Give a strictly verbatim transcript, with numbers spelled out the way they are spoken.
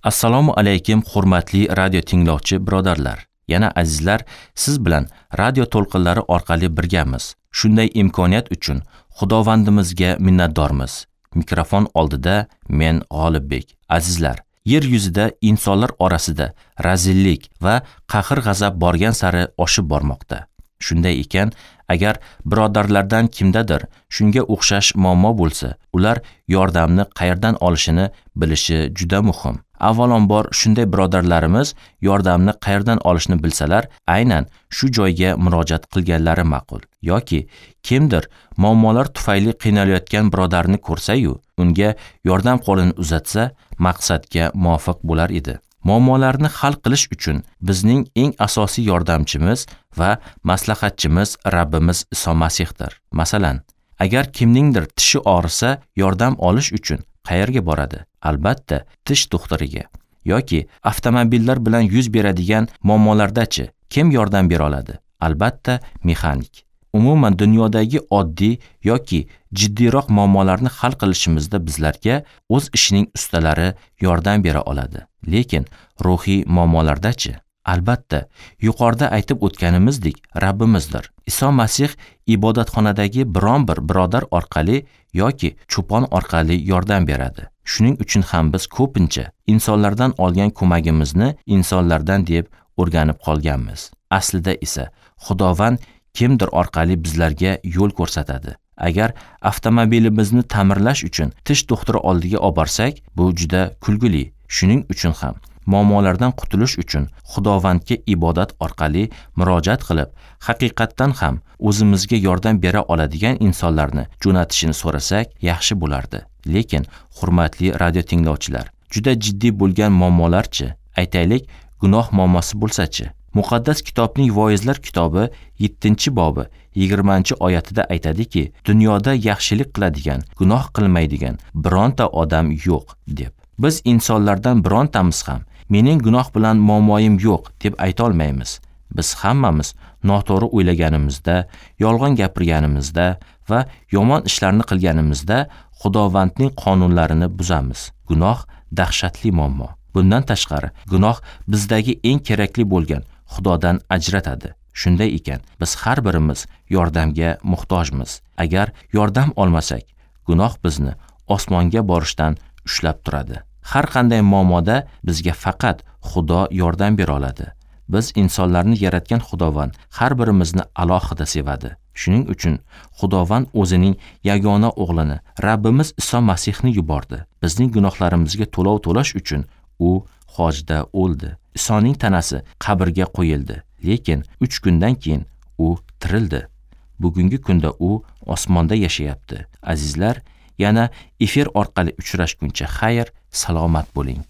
Assalomu alaykum hurmatli radio tinglovchi birodarlar. Yana azizlar, siz bilan radio to'lqinlari orqali birgamiz. Shunday imkoniyat uchun Xudovandimizga minnatdormiz. Mikrofon oldida men G'olibbek. Azizlar, yer yuzida insonlar orasida razillik va qahr-g'azab borgan sari oshib bormoqda. Shunday ekan, agar birodarlardan kimdadir shunga o'xshash muammo bo'lsa, ular yordamni qayerdan olishini bilishi juda muhim. Avvalambor shunday birodarlarimiz yordamni qayerdan olishni bilsalar, aynan shu joyga murojaat qilganlari ma'qul. Yoki kimdir muammolar tufayli qiynalayotgan birodarni ko'rsa-yu, unga yordam qo'lini uzatsa, maqsadga muvofiq bo'lar edi. Muammolarni hal qilish uchun bizning eng asosiy yordamchimiz va maslahatchimiz Rabbimiz Iso Masihdir. Masalan, agar kimningdir tishi og'risa, yordam olish uchun qayerga boradi? Albatta, tish doktoriga. Yoki avtomobillar bilan yuz beradigan muammolardachi kim yordam bera oladi? Albatta, mexanik. Umuman dunyodagi oddiy yoki jiddiyroq muammolarni hal qilishimizda bizlarga o'z ishining ustalari yordam bera oladi. Lekin ruhiy muammolardachi? Albatta, yuqorida aytib o'tganimizdek Rabbimizdir. Iso Masih ibodatxonadagi biron bir birodar orqali yoki cho'pon orqali yordam beradi. Shuning uchun ham biz ko'pincha insonlardan olgan ko'magimizni insonlardan deb o'rganib qolganmiz. Aslida esa Xudovand kimdir orqali bizlarga yo'l ko'rsatadi. Agar avtomobilimizni ta'mirlash uchun tish doktori oldiga olib borsak, bu juda kulgili. Shuning uchun ham muammolardan qutulish uchun Xudovandga ibodat orqali murojaat qilib, haqiqatdan ham o'zimizga yordam bera oladigan insonlarni jo'natishini so'rasak yaxshi bo'lardi. Lekin hurmatli radio tinglovchilar, juda jiddiy bo'lgan muammolarchi, aytaylik, gunoh muammosi bo'lsa-chi? Muqaddas kitobning Voizlar kitobi yettinchi bobi yigirmanchi oyatida aytadiki, dunyoda yaxshilik qiladigan, gunoh qilmaydigan bironta odam yo'q deb. Biz insonlardan birontamiz ham mening gunoh bilan muammoyim yo'q deb ayta olmaymiz. Biz hammamiz noto'g'ri o'ylaganimizda, yolg'on gapirganimizda va yomon ishlarni qilganimizda Xudovandning qonunlarini buzamiz. Gunoh dahshatli muammo. Bundan tashqari, gunoh bizdagi eng kerakli bo'lgan Xudodan ajratadi. Shunday ekan, biz har birimiz yordamga muhtojmiz. Agar yordam olmasak, gunoh bizni osmonga borishdan ushlab turadi. Har qanday muammoda bizga faqat Xudo yordam bera oladi. Biz insonlarni yaratgan Xudovand har birimizni alohida sevadi. Shuning uchun Xudovand o'zining yagona o'g'lini, Rabbimiz Iso Masihni yubordi. Bizning gunohlarimizga to'lov to'lash uchun u hojda o'ldi. Isoning tanasi qabrga qo'yildi, lekin uch kundan keyin u tirildi. Bugungi kunda u osmonda yashayapti. Azizlar, yana efir orqali uchrashguncha xayr, salomat bo'ling.